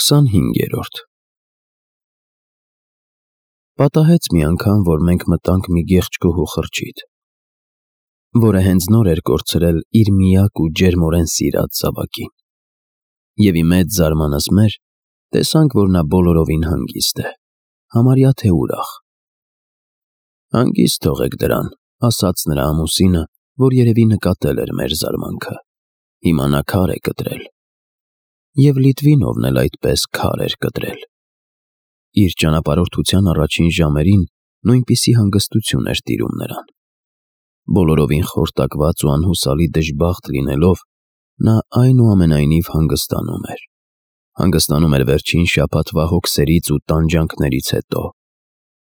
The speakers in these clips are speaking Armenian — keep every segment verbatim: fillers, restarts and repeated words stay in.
քսանհինգերորդ Պատահեց մի անգամ, որ մենք մտանք մի գեղեցկուհու խրճիթ, որը հենց նոր էր կորցրել իր միակ ու ջերմորեն սիրած զավակին, և ի մեծ զարմանս մեր տեսանք, որ նա բոլորովին հանգիստ է, համարյա թե ուրախ։ «Հանգիստ թողեք դրան», ասաց նրա ամուսինը, որ երևի նկատել էր մեր զարմանքը, «հիմա նա քար է կտրել»։ Եվ Լիտվինովն էլ այդպես քար էր կտրել։ Իր ճանապարհորդության առաջին ժամերին նույնպիսի հանգստություն էր տիրում նրան։ Բոլորովին խորտակված ու անհուսալի դժբախտ լինելով, նա այնուամենայնիվ հանգստանում էր։ Հանգստանում էր վերջին շաբաթվա հոգսերից ու տանջանքներից հետո,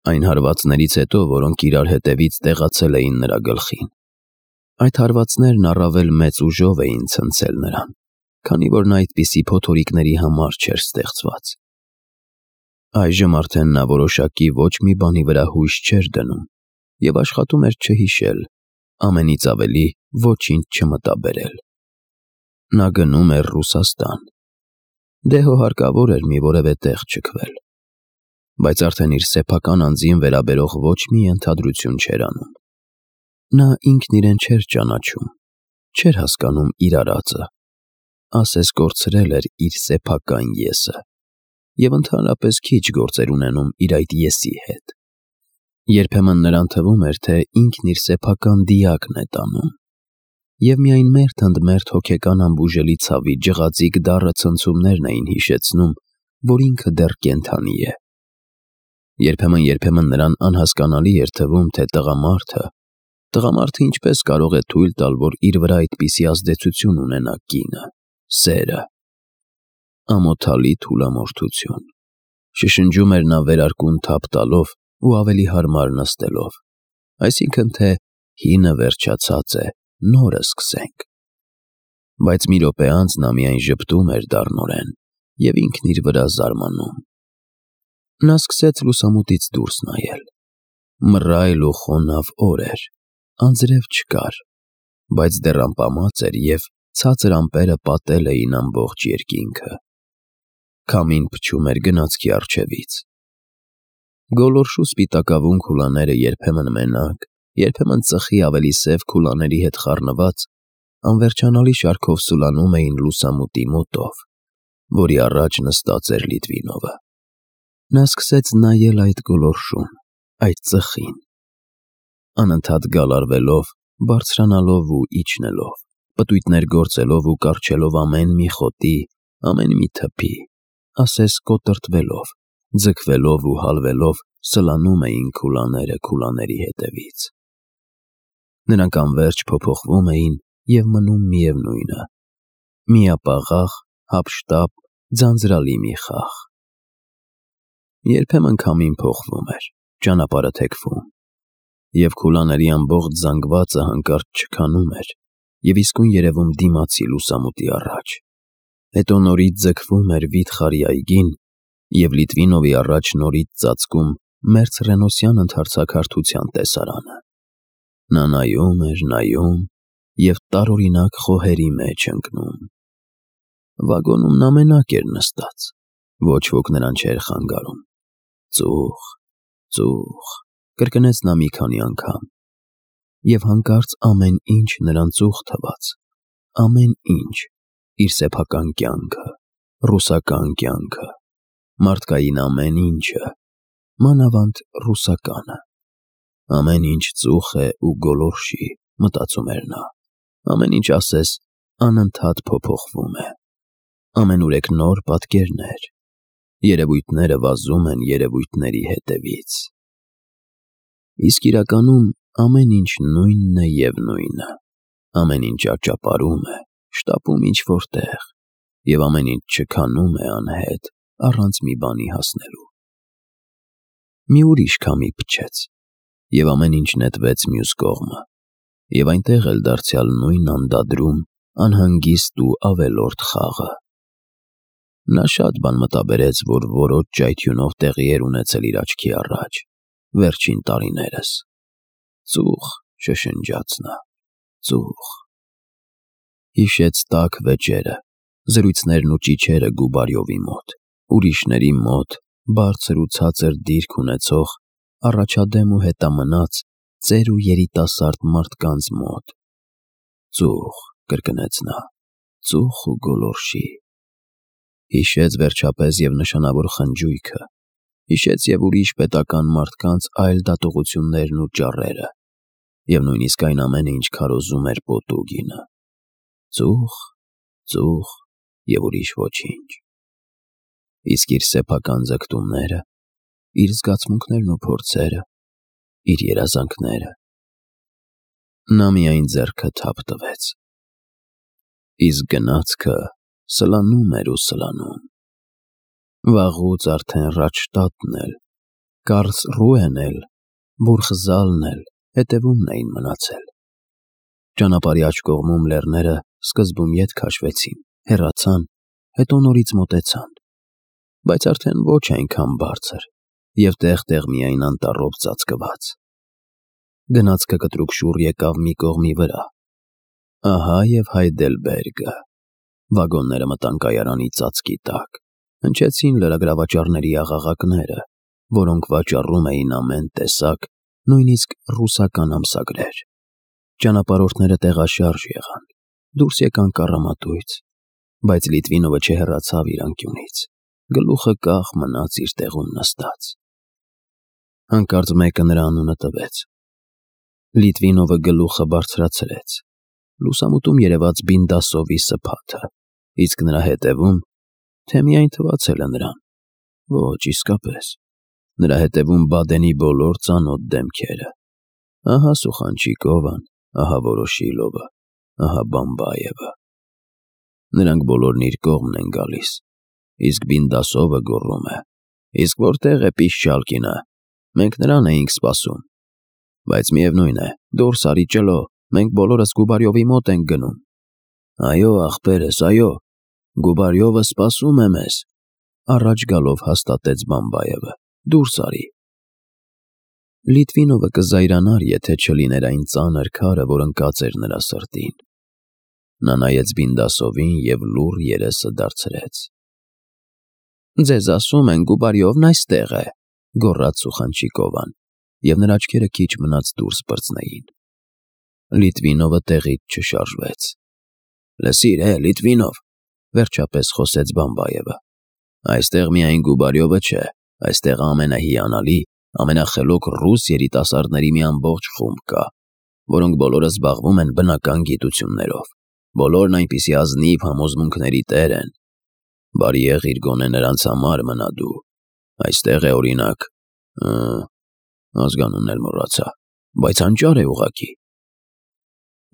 այն հարվածներից հետո, որոնք իրար հետևից տեղացել էին նրա գլխին։ Այդ հարվածներն առավել մեծ ուժով էին ցնցել նրան, քանի որ նա այդպիսի փոթորիկների համար չէր ստեղծված։ Այժմ արդեն նա որոշակի ոչ մի բանի վրա հույս չէր դնում և աշխատում էր չհիշել, ամենից ավելի ոչինչ չմտաբերել։ Նա գնում էր Ռուսաստան։ Դե հո հարկավոր էր մի որևէ տեղ ճգվել, բայց արդեն իր սեփական անձին վերաբերող ոչ մի ենթադրություն չէր անում։ Նա ինքն իրեն չէր ճանաչում, չէր հասկանում իր արածը, ասես կորցրել էր իր սեփական ես-ը և ընդհանրապես քիչ գործեր ունենում իր այդ ես-ի հետ։ Երբեմն նրան թվում էր, թե ինքն իր սեփական դիակն է տանում, և միայն մերթ ընդ մերթ հոգեկան ամբուժելի ցավի ջղածիկ դառը ցնցումներն էին հիշեցնում, որ ինքը դեռ կենդանի է։ Երբեմն-երբեմն նրան անհասկանալի էր թվում, թե տղամարդը, տղամարդը ինչպես կարող է թույլ տալ, որ իր վրա այդպիսի ազդեցություն ունենա կինը, սերը։ Ամոթալի թուլամորթություն, շշնջում էր նա վերարկուն թափ տալով ու ավելի հարմար նստելով, այսինքն թե հինը վերջացած է, նորը սկսենք։ Բայց մի րոպե անց նա միայն ժպտում էր դառնորեն և ինքն իր վրա զարմանում։ Նա սկսեց լուսամուտից դուրս նայել։ Մռայլ ու խոնավ օր էր, անձրև չկար, բայց դեռ ամպամած էր և ցածր ամպերը պատել էին ամբողջ երկինքը։ Քամին փչում էր գնացքի առջևից։ Գոլորշու սպիտակավուն քուլաները երբեմն մենակ, երբեմն ծխի ավելի սև քուլաների հետ խառնված, անվերջանալի շարքով սուլանում էին լուսամուտի մոտով, որի առաջ նստած էր Լիտվինովը։ Նա սկսեց նայել այդ գոլորշուն, այդ ծխին, անընդհատ գալարվելով, բարձրանալով ու իջնելով, պտույտներ գործելով ու կառչելով ամեն մի խոտի, ամեն մի թփի, ասես կոտրտվելով, ձգվելով ու հալվելով սլանում էին քուլաները քուլաների հետևից։ Նրանք անվերջ փոփոխվում էին և մնում միևնույնը՝ միապաղաղ, հափշտապ, ձանձրալի մի խաղ։ Երբեմն քամին փոխվում էր, ճանապարհը թեքվում, և քուլաների ամբողջ զանգվածը հանկարծ չքանում էր և իսկույն երևում դիմացի լուսամուտի առաջ, հետո նորից ձգվում էր վիթխարի այգին և Լիտվինովի առաջ նորից ծածկում մերձռենոսյան ընդարձակարդության տեսարանը։ Նա նայում էր, նայում և տարօրինակ խոհերի մեջ ընկնում։ Վագոնում նա մենակ էր նստած, ոչ ոք նրան չէր խանգարում։ Ծուխ, ծուխ, կրկնեց նա մի քանի անգամ, և հանկարծ ամեն ինչ նրան ծուխ թվաց, ամեն ինչ, իր սեփական կյանքը, ռուսական կյանքը, մարդկային ամեն ինչը, մանավանդ ռուսականը։ Ամեն ինչ ծուխ է ու գոլորշի, մտածում էր նա, ամեն ինչ ասես անընդհատ փոփոխվում է, ամենուրեք նոր պատկերներ, երևույթները վազում են երևույթների հետևից։ Իսկ իրականում ամեն ինչ նույնն է և նույնը, ամեն ինչ ճանճապարում է, շտապում ինչ-որ տեղ, և ամեն ինչ չքանում է անհետ, առանց մի բանի հասնելու։ Մի ուրիշ քամի փչեց, և ամեն ինչ նետվեց մյուս կողմը, և այնտեղ էլ դարձյալ նույն անդադրում, անհանգիստ ու ավելորդ խաղը։ Նա շատ բան մտաբերեց, որ որոջ ճայթյունով տեղի էր ունեցել իր աչքի առաջ, վերջին տարիներս։ Ծուխ, շշնջաց նա, ծուխ։ Հիշեց տաք վեճերը, զրույցներն ու ճիչերը Գուբարյովի մոտ, ուրիշների մոտ, բարձր ու ցածր դիրք ունեցող, առաջադեմ ու հետամնաց, ծեր ու երիտասարդ մարդկանց մոտ։ Ծուխ, կրկնեց նա, ծուխ ու գոլորշի։ Հիշեց վերջապես և նշանավոր խնջույքը, հիշեց և ուրիշ պետական մարդկանց այլ դատողություններն ու ճառերը, և նույնիսկ այն ամենը, ինչ քարոզում էր Պոտուգինը։ Ծուխ, ծուխ և ուրիշ ոչինչ։ Իսկ իր սեփական ձգտումները, իր զգացմունքներն ու փորձերը, իր երազանքները… Նա միայն ձեռքը թափ տվեց։ Իսկ գնացքը սլանում էր ու սլանում։ Վաղուց արդեն Ռադշտատն էլ, Կարլսրուեն էլ, Բուրգզալն էլ հետևումն էին մնացել։ Ճանապարհի աջ կողմում լեռները սկզբում ետ քաշվեցին, հեռացան, հետո նորից մոտեցան, բայց արդեն ոչ այնքան բարձր և տեղ-տեղ միայն անտառով ծածկված։ Գնացքը կտրուկ շուռ եկավ մի կողմի վրա։ Ահա և Հայդելբերգը։ Վագոնները մտան կայարանի ծածկի տակ, հնչեցին լրագրավաճառների աղաղակները, որոնք վաճառում էին ամեն տեսակ, նույնիսկ ռուսական ամսագրեր։ Ճանապարհորդները տեղաշարժ եղան, դուրս եկան կառամատույց, բայց Լիտվինովը չհեռացավ իր անկյունից, գլուխը կախ մնաց իր տեղում նստած։ Հանկարծ մեկը նրա անունը տվեց։ Լիտվինովը գլուխը բարձրացրեց։ Լուսամուտում երևաց Բինդասովի սփաթը, իսկ նրա հետևում… Թե միայն թվացել է նրան… Ոչ, իսկապես, նրա հետևում Բադենի բոլոր ծանոթ դեմքերը… Ահա Սուխանչիկովան, ահա Վորոշիլովը, ահա Բամբայևը… Նրանք բոլորն իր կողմն են գալիս, իսկ Բինդասովը գոռում է. «Իսկ որտե՞ղ է Պիշչալկինը, մենք նրան էինք սպասում»։ Բայց միևնույն է, դուրս արի, ճլո, մենք բոլորս Գուբարյովի մոտ ենք գնում։ Այո, ախպերս, այո, Գուբարյովը սպասում է մեզ, առաջ գալով հաստատեց Բամբայևը, դուրս արի։ Լիտվինովը կզայրանար, եթե չլիներ այն ծանր քարը, որ ընկած էր նրա սրտին։ Նա նայեց Բինդասովին և լուռ երեսը դարձրեց։ «Ձեզ ասում են, Գուբարյովն այստեղ է», գոռաց Սուխանչիկովան, և նրա աչքերը քիչ մնաց դուրս պրծնեին։ Լիտվինովը տեղից չշարժվեց։ «Լսիր, հե, Լիտվինով», վերջապես խոսեց Բամբայևը, այստեղ միայն Գուբարյովը չէ, այստեղ ամենահիանալի, ամենախելոք ռուս երիտասարդների մի ամբողջ խումբ կա, որոնք բոլորը զբաղվում են բնական գիտություններով, բոլորն այնպիսի ազնիվ համոզմունքների տեր են։ Բարի եղիր գոնե նրանց համար մնա դու։ Այստեղ է, օրինակ… ազգանունն էլ մոռացա, բայց հանճար է ուղղակի։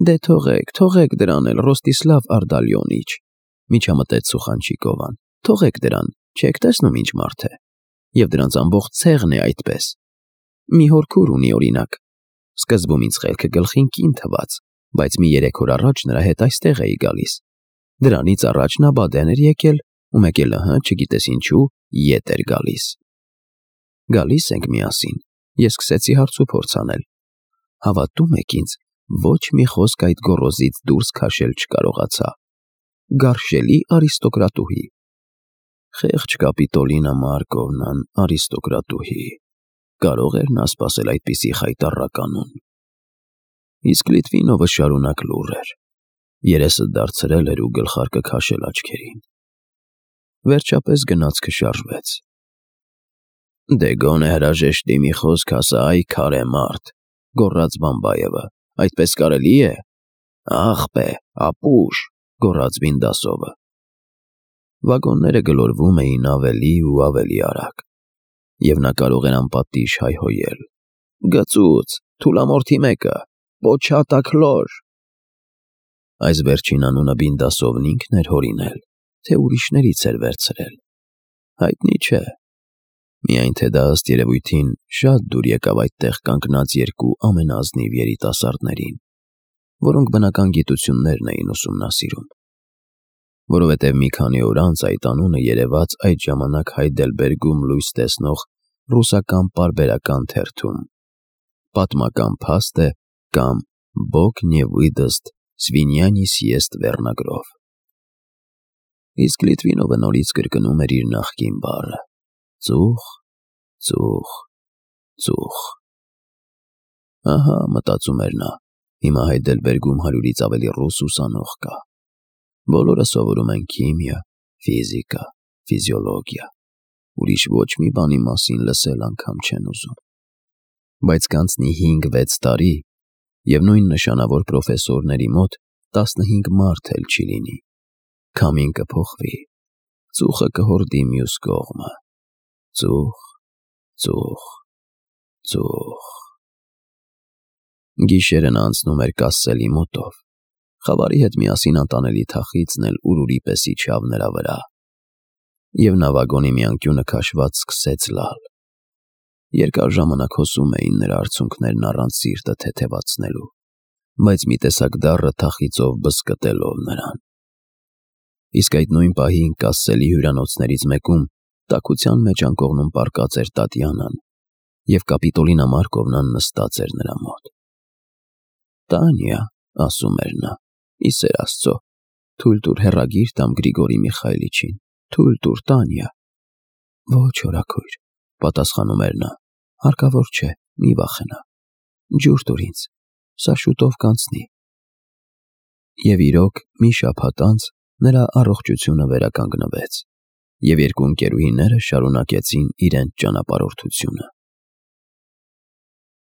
Դե թողեք, թողեք դրան էլ, Ռոստիսլավ Արդալյոնիչ, միջամտեց Սուխանչիկովան, թողեք դրան, չեք տեսնում ինչ մարդ է, և դրանց ամբողջ ցեղն է այդպես։ Մի հոր քուր ունի, օրինակ, սկզբում ինձ խելքը գլխին կին թվաց, բայց մի երեք օր առաջ նրա հետ այստեղ էի գալիս։ Դրանից առաջ նա Բադեն էր եկել, ու մեկ էլ, ըհը, չգիտես ինչու, ետ էր գալիս։ Գալիս ենք միասին, ես սկսեցի հարցուփորձ անել։ Հավատում եք ինձ, ոչ մի խոսք այդ գոռոզից դուրս քաշել չկարողացա։ Գարշելի արիստոկրատուհի։ Խեղճ Կապիտոլինա Մարկովնան արիստոկրատուհի… Կարող էր նա սպասել այդպիսի խայտառականուն։ Իսկ Լիտվինովը շարունակ լուռ էր, երեսը դարձրել էր ու գլխարկը քաշել աչքերին։ Վերջապես գնացքը շարժվեց։ Դե գոնե հրաժեշտի մի խոսք ասա, այ քարե մարդ, գոռաց Բամբայևը, այդպես կարելի է։ Աղբե, ապուշ, գոռաց Բինդասովը։ Վագոնները գլորվում էին ավելի ու ավելի արագ, և նա կարող էր անպատիժ հայհոյել. «Գծուծ, թուլամորթի մեկը, Պոչատակլոր»։ Այս վերջին անունը Բինդասովն ինքն էր հորինել, թե ուրիշներից էր վերցրել։ Հայտնի չէ։ Միայն թե դա ըստ երևույթին շատ դուր եկավ այդտեղ կանգնած երկու ամենաազնիվ երիտասարդներին, որոնք բնական գիտություններն էին ուսումնասիրում։ Որովհետև մի քանի օր անց այդ անունը երևաց այդ ժամանակ Հայդելբերգում լույս տեսնող ռուսական պարբերական թերթում։ Պատմական փաստ է կամ Բոգ նե выдаст, свинья не съест վերնագրով։ Իսկ Լիտվինովը նորից կրկնում էր իր նախկին բառը. «Ծուխ, ծուխ, ծուխ»։ Ահա, մտածում էր նա, հիմա Հայդելբերգում հարյուրից ավելի ռուս ուսանող կա։ Բոլորը սովորում են քիմիա, ֆիզիկա, ֆիզիոլոգիա, ուրիշ ոչ մի բանի մասին լսել անգամ չեն ուզում։ Բայց կանցնի հինգ-վեց տարի, և նույն նշանավոր պրոֆեսորների մոտ տասնհինգ մարդ էլ չի լինի։ Քամին կփոխվի, ծուխը կհորդի մյուս կողմը։ Ծուխ, ծուխ, ծուխ։ Գիշերը նա անցնում էր Կասսելի մոտով։ Խավարի հետ միասին անտանելի թախիծն էլ ուրուրի պես իջավ նրա վրա, և նա վագոնի մի անկյունը քաշված սկսեց լալ։ Երկար ժամանակ հոսում էին նրա արցունքներն առանց սիրտը թեթևացնելու, բայց մի տեսակ դառը թախիծով բզկտելով նրան։ Իսկ այդ նույն պահին Կասսելի հյուրանոցներից մեկում տաքության մեջ անկողնում պառկած էր Տատյանան, և Կապիտոլինա Մարկովնան նստած էր նրա մոտ։ «Տանյա», ասում էր նա, ի սեր Աստծո, թույլ տուր հեռագիր տամ Գրիգորի Միխայիլիչին, թույլ տուր, Տանյա։ «Ոչ, հորաքույր», պատասխանում էր նա, հարկավոր չէ, մի վախենա, ջուր տուր ինձ, սա շուտով կանցնի։ Եվ իրոք, մի շաբաթ անց նրա առողջությունը վերականգնվեց, և երկու ընկերուհիները շարունակեցին իրենց ճանապարհորդությունը։